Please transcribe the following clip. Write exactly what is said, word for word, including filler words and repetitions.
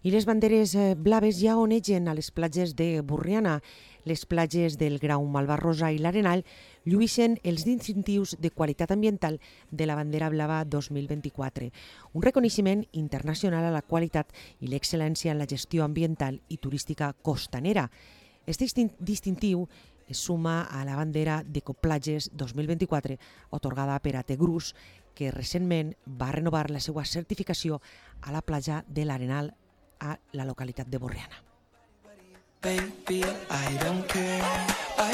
I les banderes blaves ja onegen a les platges de Borriana. Les platges del Grau Malvarrosa i l'Arenal lluïssen els distintius de qualitat ambiental de la bandera blava dos mil vint-i-quatre, un reconeixement internacional a la qualitat i l'excel·lència en la gestió ambiental i turística costanera. Este distintiu es suma a la bandera d'Ecoplatges dos mil vint-i-quatre atorgada per A T Grus, que recentment va renovar la seva certificació a la platja de l'Arenal a la localitat de Borriana. Baby, I don't care. I